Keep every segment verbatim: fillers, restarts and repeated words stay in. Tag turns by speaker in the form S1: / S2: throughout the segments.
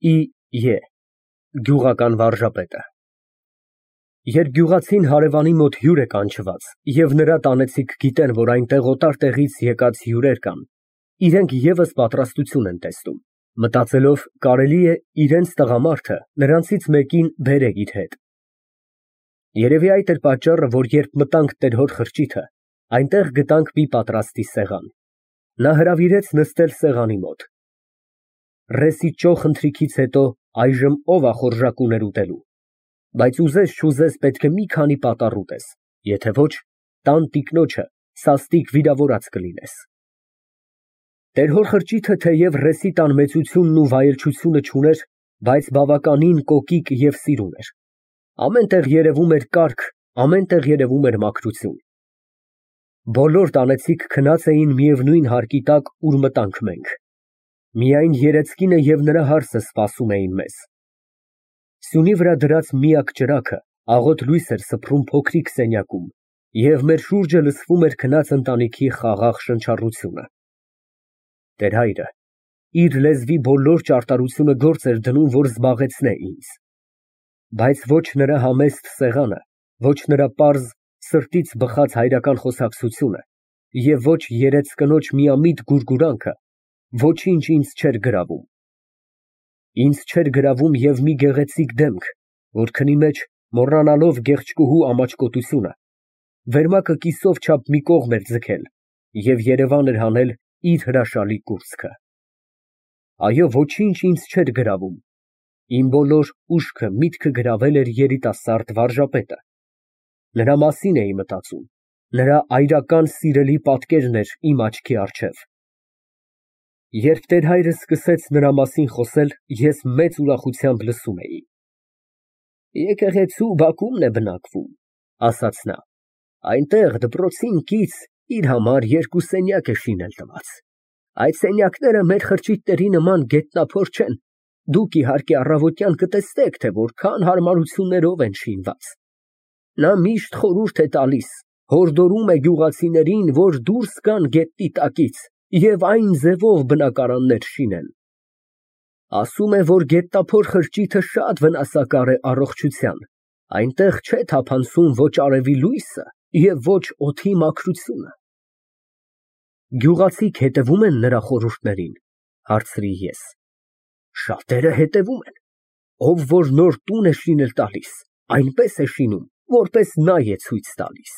S1: Է. Գյուղական վարժապետը։ Երբ գյուղացին հարևանի մոտ հյուր է կանչված, և նրա տանեցիք գիտեն, որ այնտեղ օտար տեղից եկած հյուրեր կան, իրենք ևս պատրաստություն են տեսնում, մտածելով կարելի է իրենց տղամարդը նրանցից մեկին բերե իր հետ։ Երևի այդ էր պատճառը, որ երբ մտանք տեր֊հոր խրճիթը, այնտեղ գտանք մի պատրաստի սեղան։ Նա հրավիրեց նստել սեղանի մոտ։ Ռեսի ճոխ ընթրիքից հետո այժմ ո՞վ է խորժակ ուներ ուտելու, բայց ուզես֊չուզես պետք է մի քանի պատառ ուտես, եթե ոչ, տան տիկնոջը սաստիկ վիրավորած կլինես։ Տեր֊հոր խրճիթը թեև ռեսի տան մեծությունն ու վայելչությունը չուներ, բայց բավականին կոկիկ և սիրուն էր։ Ամեն տեղ երևում էր կարգ, ամեն տեղ երևում էր մաքրություն։ Բոլոր տանեցիք քնած էին միևնույն հարկի տակ, ուր մտանք մենք։ Միայն երեծկինը և նրա հարսը սպասում էին մեզ։ Սյունի վրա դրած միակ ճրագը աղոտ լույս էր սփռում փոքրիկ սենյակում, և մեր շուրջը լսվում էր քնած ընտանիքի խաղաղ շնչառությունը։ Տեր֊հայրը իր լեզվի բոլոր ճարտարությունը գործ էր դնում, որ զբաղեցնե ինձ։ Բայց ոչ նրա համեստ սեղանը, ոչ նրա պարզ, սրտից բխած հայրական խոսակցությունը և ոչ երեծ կնոջ միամիտ գուրգուրանքը ոչինչ ինձ չէր գրավում։ Ինձ չէր գրավում և մի գեղեցիկ դեմք, որ քնի մեջ, մոռանալով գեղեցկուհու ամաչկոտությունը, վերմակը կիսով չափ մի կողմ էր ձգել և երևան էր հանել իր հրաշալի կուրծքը։ Այո, ոչինչ ինձ չէր գրավում, իմ բոլոր ուշքը, միտքը գրավել էր երիտասարդ վարժապետը։ Նրա մասին էի մտածում, նրա այրական սիրելի պատկերն էր իմ աչքի առջև։ Երբ տեր֊հայրը սկսեց նրա մասին խոսել, ես մեծ ուրախությամբ լսում էի։ Եկեղեցու բակումն է բնակվում, ասաց նա, այնտեղ դպրոցին կից իր համար երկու սենյակ է շինել տված։ Այդ սենյակները մեր խրճիթների նման գետնափոր չեն, դուք իհարկե առավոտյան կտեսնեք, թե որքան հարմարություններով են շինված։ Նա միշտ խորհուրդ է տալիս, հորդորում է գյուղացիներին, որ դուրս գան գետնի տակից և այն ձևով բնակարաններ շինեն։ Ասում է, որ գետնափոր խրճիթը շատ վնասակար է առողջության, այնտեղ չէ թափանցում ոչ արևի լույսը և ոչ օդի մաքրությունը։ Գյուղացիք հետևում են նրա խորհուրդներին, հարցրի ես։ Շատերը հետևում են, ով որ նոր տուն է շինել տալիս, այնպես է շինում, որպես նա է ցույց տալիս։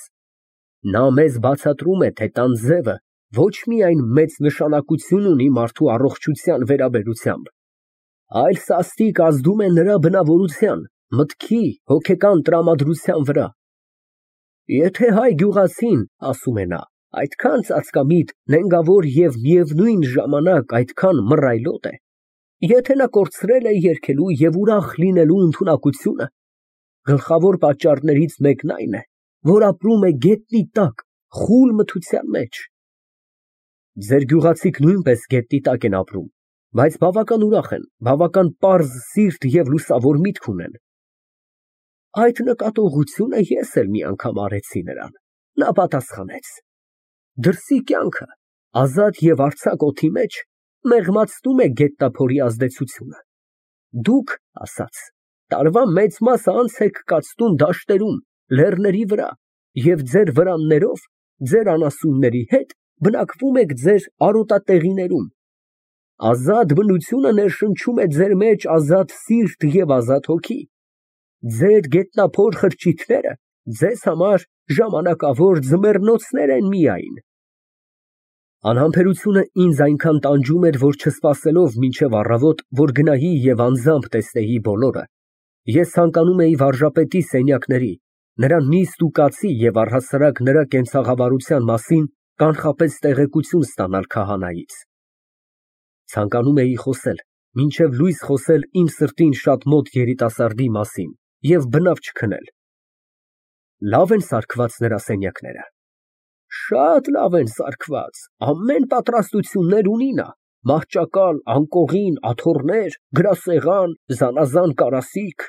S1: Նա մեզ բացատրում է, թե տան ձևը ոչ միայն մեծ նշանակություն ունի մարդու առողջության վերաբերությամբ, այլ սաստիկ ազդում է նրա բնավորության, մտքի, հոգեկան տրամադրության վրա։ Եթե հայ գյուղացին, ասում է նա, այդքան ծածկամիտ, նենգավոր և միևնույն ժամանակ այդքան մռայլոտ է, եթե նա կորցրել է երգելու և ուրախ լինելու ընդունակությունը, գլխավոր պատճառներից մեկն այն է, որ ապրում է գետնի տակ, խուլ մթության մեջ։ Ձեր գյուղացիք նույնպես գետնի տակ են ապրում, բայց բավական ուրախ են, բավական պարզ սիրտ և լուսավոր միտք ունեն։ Այդ նկատողությունը ես էլ մի անգամ արեցի նրան։ Նա պատասխանեց. դրսի կյանքը, ազատ և արձակ օդի մեջ, մեղմացնում է գետնափորի ազդեցությունը։ Դուք, ասաց, տարվա մեծ մասը անց եք կացնում դաշտերում, լեռների վրա և ձեր վրաններով, ձեր անասունների հետ բնակվում եք ձեր արոտատեղիներում։ Ազատ բնությունը ներշնչում է ձեր մեջ ազատ սիրտ և ազատ հոգի։ Ձեր գետնափոր խրճիթները ձեզ համար ժամանակավոր ձմեռնոցներ են միայն։ Անհամբերությունը ինձ այնքան տանջում էր, որ չսպասելով մինչև առավոտ, որ գնայի և անձամբ տեսնեի բոլորը, ես ցանկանում էի վարժապետի սենյակների, նրա նիստ ու կացի և առհասարակ նրա կենցաղավարության մասին կանխապես տեղեկություն ստանալ քահանայից։ Ցանկանում էի խոսել, մինչև լույս խոսել իմ սրտին շատ մոտ երիտասարդի մասին և բնավ չքնել։ Լավ են սարքված նրա սենյակները։ Շատ լավ են սարքված, ամեն պատրաստություններ ունի նա, մահճակալ, անկողին, աթոռներ, գրասեղան, զանազան կարասիք,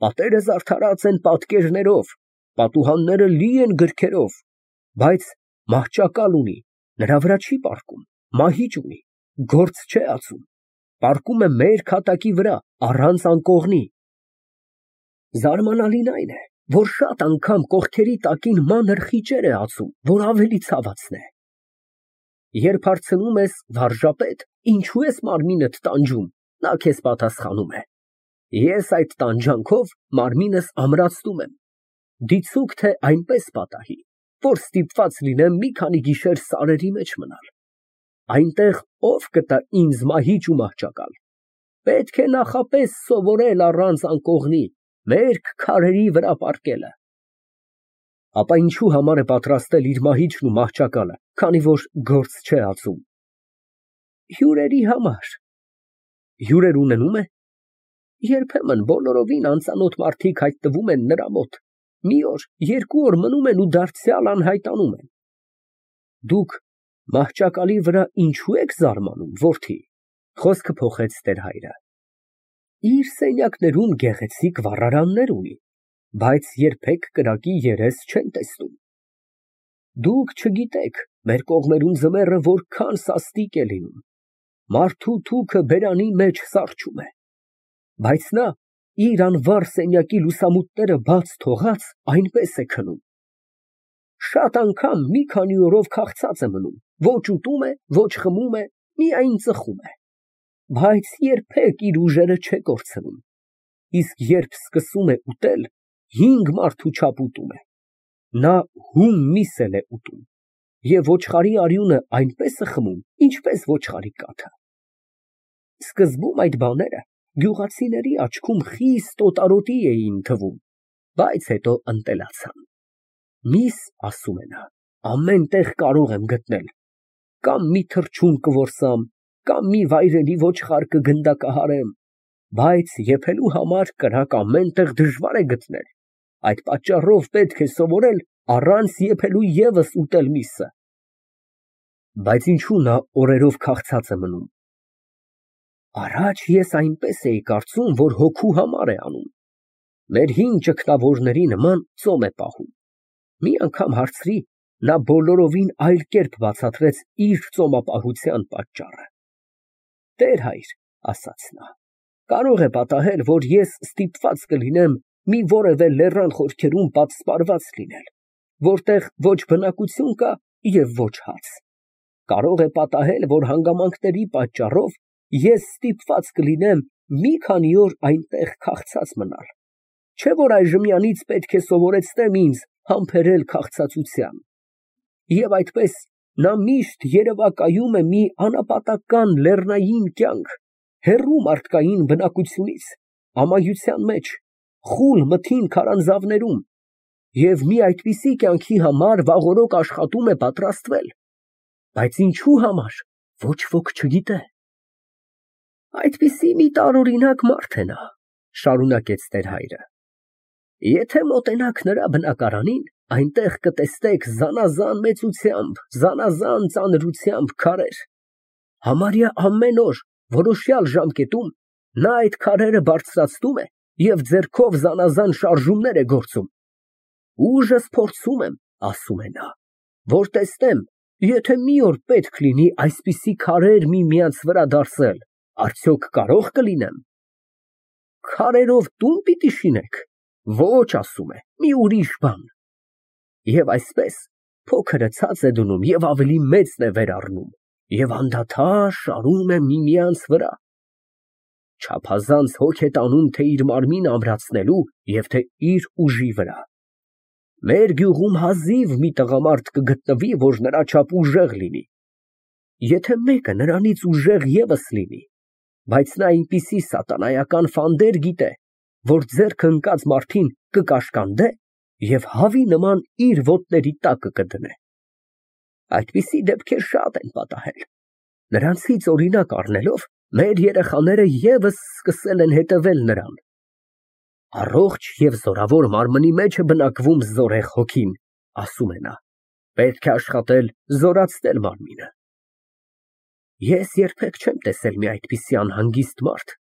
S1: պատերը զարդարած են պատկերներով, պատուհանները լի են գրքերով, բայց մահճակալ ունի, նրա վրա չի պառկում, մահիճ ունի, գործ չէ ածում, պառկում է մեր քատակի վրա, առանց անկողնի։ Զարմանալին այն է, որ շատ անգամ կողքերի տակին մանր խիճեր է ածում, որ ավելի ցավացն է։ Երբ հարցնում ես, վարժապետ, ինչու ես մարմինդ տանջում, նա քեզ պատասխանում է. ես այդ տանջանքով մարմինս ամրացնում եմ, դիցուք թե այնպես պատահի, որ ստիպված լինեմ մի քանի գիշեր սարերի մեջ մնալ։ Այնտեղ ով կտա ինձ մահիճ ու մահճակալ։ Պետք է նախապես սովորել առանց անկողնի, մերկ քարերի վրա պառկելը։ Ապա ինչու համար է պատրաստել իր մահիճն ու մահճակալը, քանի որ գործ չէ ածում։ Հյուրերի համար։ Հյուրեր ունենում է։ Երբեմն բոլորովին անծանոթ մարդիկ հայտնվում են նրա մոտ, մի օր, երկու օր մնում են ու դարձյալ անհայտանում են։ Դուք մահճակալի վրա ինչու եք զարմանում, որդի, խոսքը փոխեց տեր-հայրը։ Իր սենյակներում գեղեցիկ վառարաններ ունի, բայց երբեք կրակի երես չեն տեսնում։ Դուք չգիտեք, մեր կողմերում ձմեռը որքան սաստիկ է լինում, մարդու թուքը բերանի մեջ սառչում է, բայց նա իր անվառ սենյակի լուսամուտները բաց թողած այնպես է քնում։ Շատ անգամ մի քանի օրով քաղցած է մնում, ոչ ուտում է, ոչ խմում է, միայն ծխում է, բայց երբեք իր ուժերը չէ կորցնում, իսկ երբ սկսում է ուտել, հինգ մարդու չափ ուտում է։ Նա հում միս էլ է ուտում և ոչխարի արյունը այնպես է խմում, ինչպես ոչխարի կաթը։ Սկզբում այդ բաները գյուղացիների աչքում խիստ օտարոտի էին թվում, բայց հետո ընտելացան։ Միս, ասում է նա, ամեն տեղ կարող եմ գտնել, կամ մի թռչուն կորսամ, կամ մի վայրենի ոչխար կգնդակահարեմ, բայց եփելու համար կրակ ամեն տեղ դժվար է գտնել, այդ պատճառով պետք է սովորել առանց եփելու ևս ուտել միսը։ Բայց ինչու նա օրերով քաղցած է մնում։ Առաջ ես այնպես էի կարծում, որ հոգու համար է անում, մեր հին ճգնավորների նման ծոմ է պահում։ Մի անգամ հարցրի, նա բոլորովին այլ կերպ բացատրեց իր ծոմապահության պատճառը։ Տեր-հայր, ասաց նա, կարող է պատահել, որ ես ստիպված կլինեմ մի որևէ լեռան խորքերում պատսպարված լինել, որտեղ ոչ բնակություն կա և ոչ հաց։ Կարող է պատահել, որ հանգամանքների պատճառով ես ստիպված կլինեմ մի քանի օր այնտեղ քաղցած մնալ, չէ՞ որ այժմյանից պետք է սովորեցնեմ ինձ համբերել քաղցածության։ Եվ այդպես նա միշտ երևակայում է մի անապատական լեռնային կյանք, հեռու մարդկային բնակությունից, ամայության մեջ, խուլ մթին քարանձավներում, և մի այդպիսի կյանքի համար վաղօրոք աշխատում է պատրաստվել, բայց ինչու համար, ոչ ոք չգիտե։ Այդպիսի մի տարօրինակ մարդ է նա, շարունակեց տեր-հայրը։ Եթե մոտենաք նրա բնակարանին, այնտեղ կտեսնեք զանազան մեծությամբ, զանազան ծանրությամբ քարեր։ Համարյա ամեն օր, որոշյալ ժամկետում նա այդ քարերը բարձրացնում է և ձեռքով զանազան շարժումներ է գործում։ Ուժս փորձում եմ, ասում է նա, որ տեսնեմ, եթե մի օր պետք լինի այսպիսի քարեր միմյանց վրա դարսել, արդյոք կարո՞ղ կլինեմ։ Քարերով տո՞ւն պիտի շինեք։ Ոչ, ասում է, մի ուրիշ բան։ Եվ այսպես փոքրը ցած է դնում և ավելի մեծն է վեր առնում, և անդադար շարում է միմյանց վրա։ Չափազանց հոգ է տանում թե իր մարմինը ամրացնելու և թե իր ուժի վրա։ Մեր գյուղում հազիվ մի տղամարդ կգտնվի, որ նրա չափ ուժեղ լինի։ Եթե մեկը նրանից ուժեղ ևս լինի, բայց նա այնպիսի սատանայական ֆանդեր գիտե, որ ձեռքը ընկած մարդին կկաշկանդե և հավի նման իր ոտների տակը կդնե։ Այդպիսի դեպքեր շատ են պատահել։ Նրանցից օրինակ առնելով, մեր երեխաները ևս սկսել են հետևել նրան։ Առողջ և զորավոր մարմնի մեջ է բնակվում զորեղ հոգին, ասում է նա, պետք է աշխատել զորացնել մարմինը։ Ես երբեք չեմ տեսել մի այդպիսի անհանգիստ մարդ,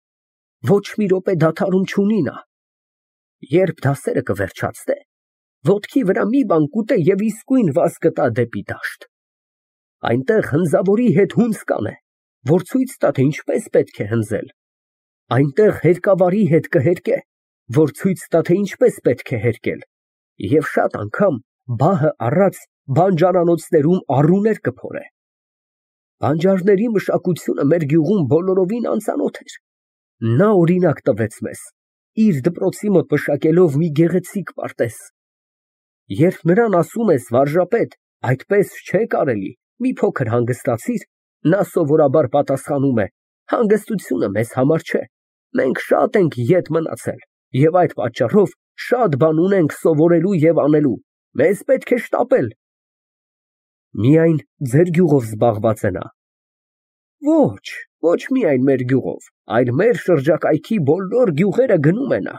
S1: ոչ մի րոպե դադարում չունի նա։ Երբ դասերը կվերջացնե, ոտքի վրա մի բան կուտե և իսկույն վազ կտա դեպի դաշտ։ Այնտեղ հնձավորի հետ հունձկան է, որ ցույց տա, թե ինչպես պետք է հնձել։ Այնտեղ հերկավարի հետ կհերկե, որ ցույց տա, թե ինչպես պետք է հերկել, և շատ անգամ բահը առած բանջարանոցներում առուներ կփորե։ Բանջարների մշակությունը մեր գյուղում բոլորովին անծանոթ էր։ Նա օրինակ տվեց մեզ, իր դպրոցի մոտ մշակելով մի գեղեցիկ պարտեզ։ Երբ նրան ասում ես, վարժապետ, այդպես չէ կարելի, մի փոքր հանգստացիր, նա սովորաբար պատասխանում է, հանգստությունը մեզ համար չէ, մենք շատ ենք ետ մնացել և այդ պատճառով շատ բան ունենք սովորելու և անելու, մեզ պետք է շտապել։ Միայն ձեր գյուղով զբաղված է նա։ Ոչ, ոչ միայն մեր գյուղով, այլ մեր շրջակայքի բոլոր գյուղերը գնում է նա։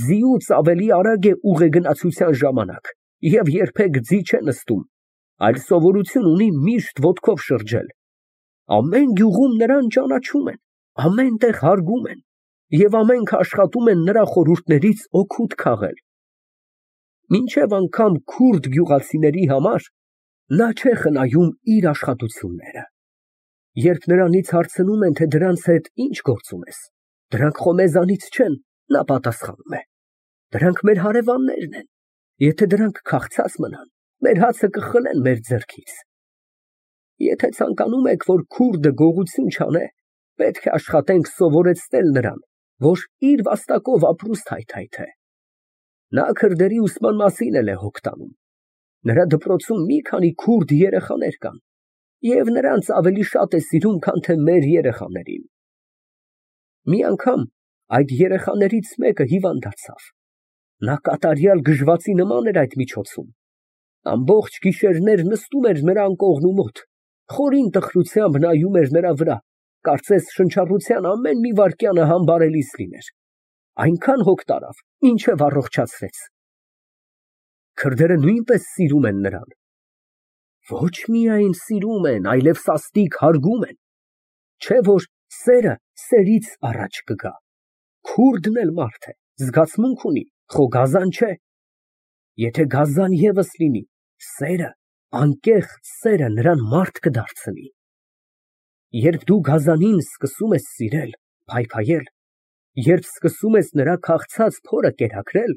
S1: Ձիուց ավելի արագ է ուղեգնացության ժամանակ և երբեք ձի չէ նստում, այլ սովորություն ունի միշտ ոտքով շրջել։ Ամեն գյուղում նրան ճանաչում են, ամեն տեղ հարգում են և ամենք աշխատում են նրա խորհուրդներից օգուտ քաղել։ Մինչև անգամ քուրդ գյուղացիների համար նա չէ խնայում իր աշխատությունները։ Երբ նրանից հարցնում են, թե դրանց հետ ինչ գործ ունես, դրանք խո մեզանից չեն, նա պատասխանում է. դրանք մեր հարևաններն են, եթե դրանք քաղցած մնան, մեր հացը կխլեն մեր ձեռքից։ Եթե ցանկանում եք, որ քուրդը գողություն չանե, պետք է աշխատենք սովորեցնել նրան, որ իր վաստակով ապրուստ հայթայթե։ Նա քրդերի ուսման մասին էլ է հոգ տանում։ Նրա դպրոցում մի քանի քուրդ երեխաներ կան, և նրանց ավելի շատ է սիրում, քան թե մեր երեխաներին։ Մի անգամ այդ երեխաներից մեկը հիվանդ դարձավ։ Նա կատարյալ գժվացի նման էր այդ միջոցում։ Ամբողջ գիշերներ նստում էր նրա անկողնու մոտ, խորին տխրությամբ նայում էր նրա վրա, կարծես շնչառության ամեն մի վայրկյանը համբարելիս լիներ։ Այնքան հոգ տարավ, մինչև առողջացրեց։ Քրդերը նույնպես սիրում են նրան։ Ոչ միայն սիրում են, այլև սաստիկ հարգում են։ Չէ որ սերը սերից առաջ կգա։ Քուրդն էլ մարդ է, զգացմունք ունի, խո գազան չէ։ Եթե գազան ևս լինի, սերը, անկեղծ սերը նրան մարդ կդարձնի։ Երբ դու գազանին սկսում ես սիրել, փայփայել, երբ սկսում ես նրա քաղցած փորը կերակրել,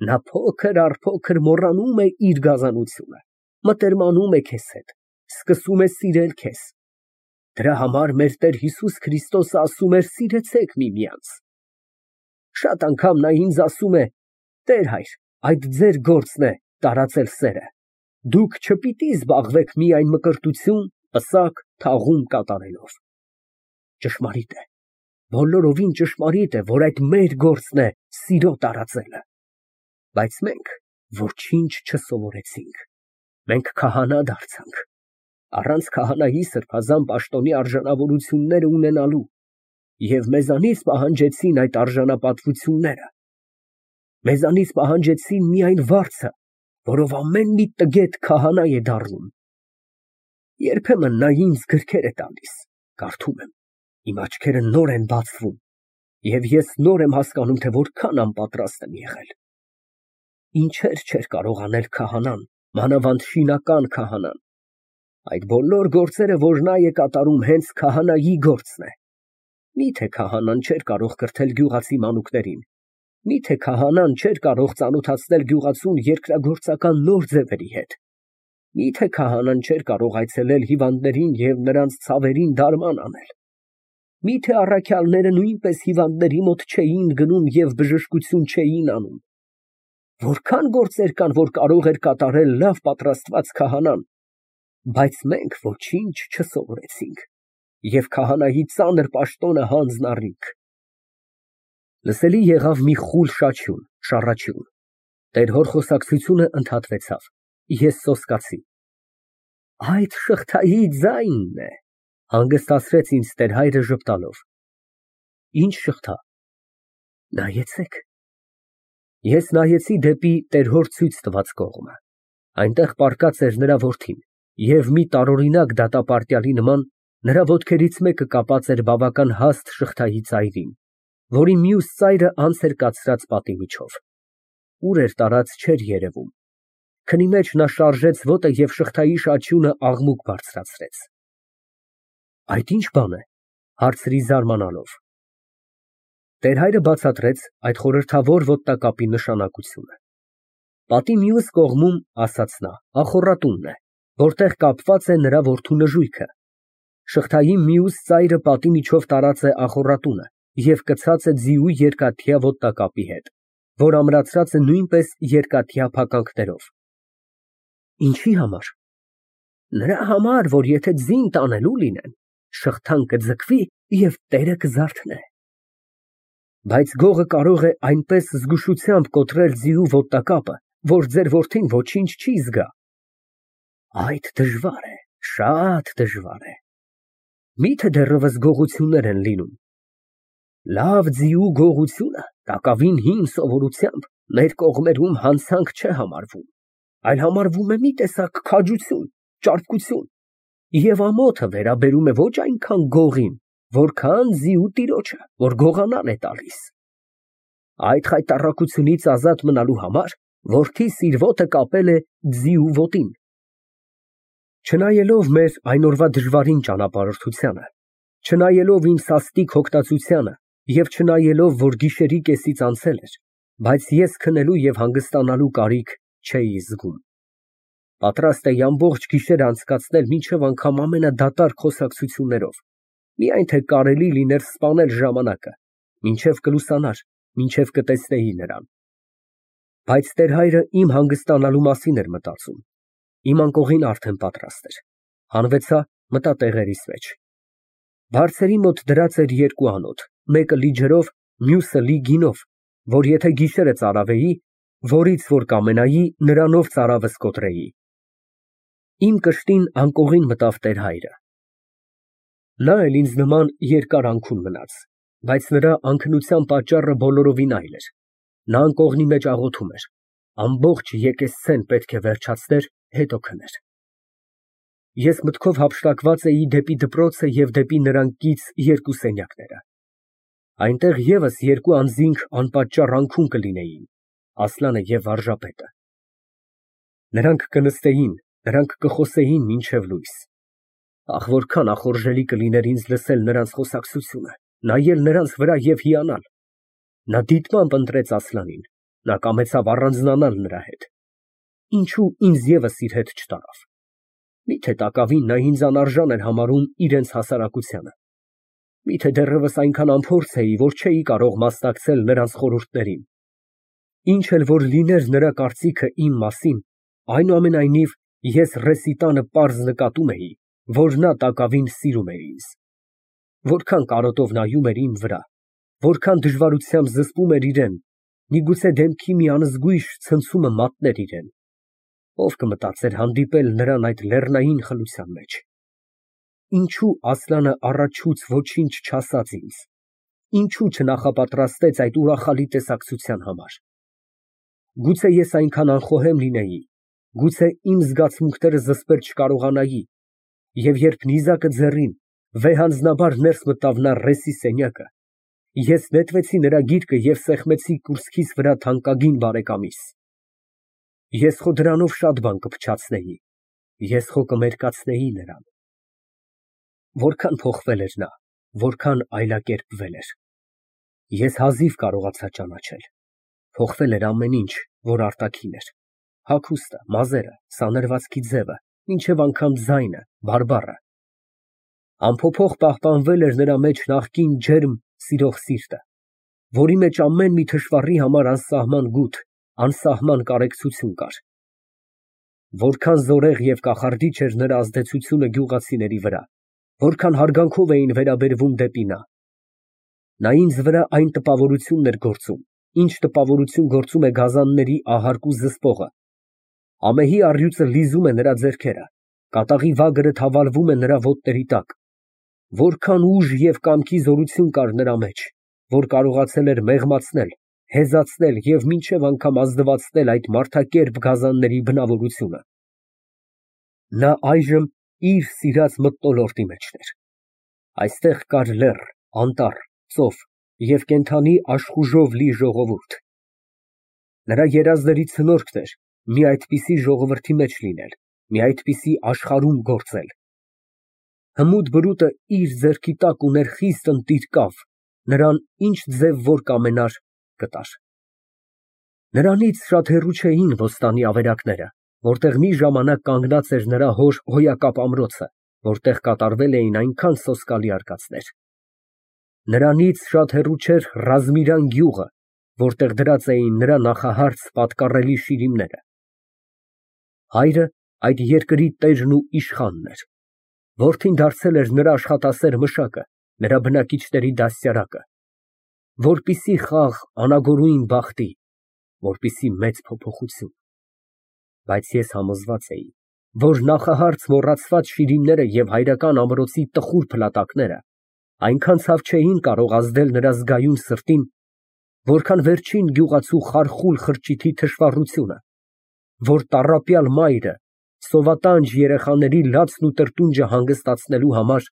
S1: նա փոքր առ փոքր մոռանում է իր գազանությունը, մտերմանում է քեզ հետ, սկսում է սիրել քեզ։ Դրա համար մեր Տեր Հիսուս Քրիստոսը ասում էր. «Սիրեցեք միմյանց»։ Շատ անգամ նա ինձ ասում է. «Տեր հայր, այդ ձեր գործն է տարածել սերը։ Դուք չպիտի զբաղվեք միայն մկրտություն, պսակ, թաղում կատարելով»։ Ճշմարիտ է, բոլորովին ճշմարիտ է, որ այդ մեր գործն է սիրո տարածելը։ Բայց մենք ոչինչ չսովորեցինք։ Մենք քահանա դարձանք, առանց քահանայի սրբազան պաշտոնի արժանավորությունները ունենալու, և մեզանից պահանջեցին այդ արժանապատվությունները։ Մեզանից պահանջեցին միայն վարձը, որով ամեն մի տգետ քահանա է դառնում։ Երբեմն նա ինձ գրքեր է տալիս, կարդում եմ, իմ աչքերը նոր են բացվում, և ես նոր եմ հասկանում, թե որքան անպատրաստ եմ եղել։ Ինչեր չէր կարող անել քահանան, մանավանդ շինական քահանան։ Այդ բոլոր գործերը, որ նա է կատարում, հենց քահանայի գործն է։ Միթե քահանան չէր կարող կրթել գյուղացի մանուկներին, միթե քահանան չէր կարող ծանոթացնել գյուղացուն երկրագործական նոր ձևերի հետ, միթե քահանան չէր կարող այցելել հիվանդներին և նրանց ցավերին դարման անել, միթե առաքյալները նույնպես հիվանդների մոտ չէին գնում և բժշկություն չէին անում։ Որքան գործեր կան, որ կարող էր կատարել լավ պատրաստված քահանան, բայց մենք ոչինչ չսովորեցինք, և քահանայի ծանր պաշտոնը հանձն առինք։ Լսելի եղավ մի խուլ շաչյուն, շառաչյուն, տեր֊հոր խոսակցությունը ընդհատվեցավ, ես սոսկացի։ Այդ շղթայի ձայնն է, հանգստացրեց ինձ տեր֊հայրը ժպտալով։ Ինչ շղթա։ Նայեցեք։ Ես նայեցի դեպի տեր֊հոր ցույց տված կողմը, այնտեղ պառկած էր նրա որդին, և մի տարօրինակ դատապարտյալի նման նրա ոտքերից մեկը կապած էր բավական հաստ շղթայի ծայրին, որի մյուս ծայրը անց էր կացրած պատի միջով։ Ուր էր տարած, չէր երևում։ Քնի մեջ նա շարժեց ոտը և շղթայի շաչյունը աղմուկ բարձրացրեց։ Այդ ի՞նչ բան է, հարցրի զարմանալով։ Տեր-հայրը բացատրեց այդ խորհրդավոր ոտնակապի նշանակությունը։ Պատի մյուս կողմում, ասաց նա, ախոռատունն է, որտեղ կապված է նրա որդու նժույգը։ Շղթայի մյուս ծայրը պատի միջով տարած է ախոռատունը և կցած է ձիու երկաթյա ոտնակապի հետ, որ ամրացրած է նույնպես երկաթյա փականքներով։ Ինչի համար։ Նրա համար, որ եթե ձին տանելու լինեն, շղթան կձգվի և տերը կզարթնե։ Բայց գողը կարող է այնպես զգուշությամբ կոտրել ձիու ոտնակապը, որ ձեր որդին ոչինչ չի զգա։ Այդ դժվար է, շատ դժվար է։ Միթե դեռևս գողություններ են լինում։ Լավ ձիու գողությունը տակավին հին սովորությամբ մեր կողմերում հանցանք չէ համարվում, այլ համարվում է մի տեսակ քաջություն, ճարպկություն, և ամոթը վերաբերում է ոչ այնքան գողին, որքան ձիու տիրոջը, որ գողանալ է տալիս։ Այդ խայտառակությունից ազատ մնալու համար որդիս իր ոտը կապել է ձիու ոտին։ Չնայելով մեր այն օրվա դժվարին ճանապարհորդությանը, չնայելով իմ սաստիկ հոգտածությանը և չնայելով, որ գիշերի կեսից անցել էր, բայց ես քնելու և հանգստանալու կարիք չէի զգում։ Պատրաստ էի ամբողջ գիշերը անցկացնել մինչև անգամ ամենադատարկ խոսակցություններով, միայն թե կարելի լիներ սպանել ժամանակը, մինչև կլուսանար, մինչև կտեսնեի նրան։ Բայց տեր֊հայրը իմ հանգստանալու մասին էր մտածում։ Իմ անկողին արդեն պատրաստ էր։ Հանվեցա, մտա տեղերիս մեջ։ Բարձերի մոտ դրած էր երկու անոթ, մեկը լի ջրով, մյուսը լի գինով, որ եթե գիշերը ծարավեի, որից որ կամենայի, նրանով ծարավս կոտրեի։ Իմ կշտին անկողին մտավ տեր֊հայրը։ Նա էլ ինձ նման երկար անքուն մնաց, բայց նրա անքնության պատճառը բոլորովին այլ էր։ Նա անկողնի մեջ աղոթում էր, ամբողջ եկեսցեն պետք է վերջացներ, հետո քներ։ Ես մտքով հափշտակված էի դեպի դպրոցը և դեպի նրան կից երկու սենյակները։ Այնտեղ ևս երկու անձինք անպատճառ անքուն կլինեին, Ասլանը և վարժապետը։ Նրանք կնստեին, նրանք կխոսեին մինչև լույս։ Ահ, որքան ախորժելի կլիներ ինձ լսել նրանց խոսակցությունը, նայել նրանց վրա և հիանալ։ Նա դիտմամբ ընտրեց Ասլանին, նա կամեցավ առանձնանալ նրա հետ։ Ինչո՞ւ ինձ ևս իր հետ չտարավ։ Միթե տակավին նա ինձ անարժան էր համարում իրենց հասարակությանը։ Միթե դեռևս այնքան անփորձ էի, որ չէի կարող մասնակցել նրանց խորհուրդներին։ Ինչ էլ որ լիներ նրա կարծիքը իմ մասին, այնուամենայնիվ ես ռեսիտանը պարզ նկատում էի, որ նա տակավին սիրում էր ինձ։ Որքան կարոտով նայում էր իմ վրա, որքան դժվարությամբ զսպում էր իրեն, միգուցե դեմքի մի անզգույշ ցնցումը մատներ իրեն։ Ով կմտածեր հանդիպել նրան այդ լեռնային խլության մեջ։ Ինչո՞ւ Ասլանը առաջուց ոչինչ չասաց ինձ, ինչո՞ւ չնախապատրաստեց այդ ուրախալի տեսակցության համար։ Գուցե ես այնքան անխոհեմ լինեի, գուցե իմ զգացմունքները զսպել չկարողանայի, և երբ նիզակը ձեռին, վեհանձնաբար ներս մտավ նա ռեսի սենյակը, ես նետվեցի նրա գիրկը և սեղմեցի կուրծքիս վրա թանկագին բարեկամիս։ Ես խո դրանով շատ բան կփչացնեի, ես խո կմերկացնեի նրան։ Որքան փոխվել էր նա, որքան այլակերպվել էր։ Ես հազիվ կարողացա ճանաչել։ Փոխվել էր ամեն ինչ, որ արտաքին էր, հագուստը, մազերը, սանրվածքի ձևը, մինչև անգամ ձայնը, բարբառը։ Անփոփոխ պահպանվել էր նրա մեջ նախկին ջերմ, սիրող սիրտը, որի մեջ ամեն մի թշվառի համար անսահման գութ, անսահման կարեկցություն կար։ Որքան զորեղ և կախարդիչ էր նրա ազդեցությունը գյուղացիների վրա, որքան հարգանքով էին վերաբերվում դեպի նա։ Նա ինձ վրա այն տպավորությունն էր գործում, ինչ տպավորություն գործում է գազանների ահարկու զսպողը։ Ամեհի առյուծը լիզում է նրա ձեռքերը, կատաղի վագրը թավալվում է նրա ոտների տակ։ Որքան ուժ և կամքի զորություն կար նրա մեջ, որ կարողացել էր մեղմացնել, հեզացնել և մինչև անգամ ազնվացնել այդ մարդակերպ գազանների բնավորությունը։ Նա այժմ իր սիրած մթնոլորտի մեջն էր։ Այստեղ կար լեռ, անտառ, ծով և կենդանի աշխուժով լի ժողովուրդ։ Նրա երազների ցնորքն էր մի այդպիսի ժողովրդի մեջ լինել, մի այդպիսի աշխարհում գործել։ Հմուտ բրուտը իր ձեռքի տակ ուներ խիստ ընտիր կավ, Նրան ինչ ձև որ կամենար, կտար։ Նրանից շատ հեռու չէին Բոստանի ավերակները, որտեղ մի ժամանակ կանգնած էր նրա հոր հոյակապ ամրոցը, որտեղ կատարվել էին այնքան սոսկալի արկածներ։ Նրանից շատ հեռու չէր Ռազմիրան գյուղը, որտեղ դրած էին նրա նախահարց պատկառելի շիրիմները։ Հայրը այդ երկրի տերն ու իշխանն էր, որդին դարձել էր նրա աշխատասեր մշակը, նրա բնակիչների դաստիարակը, որպիսի խաղ անագորույն բախտի, որպիսի մեծ փոփոխություն։ Բայց ես համոզված էի, որ նախահարց մոռացված շիրիմները և հայրական ամրոցի տխուր փլատակները այնքան ցավ չէին կարող ազդել նրա զգայուն սրտին, որքան վերջին գյուղացու խարխուլ խրճիթի թշվառությունը, որ տառապյալ մայրը սովատանջ երեխաների լացն ու տրտունջը հանգստացնելու համար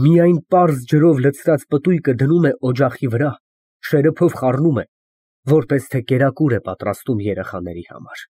S1: միայն պարզ ջրով լցրած պտույտը դնում է օջախի վրա, շերեփով խառնում է, որպես թե կերակուր է պատրաստում երեխաների համար։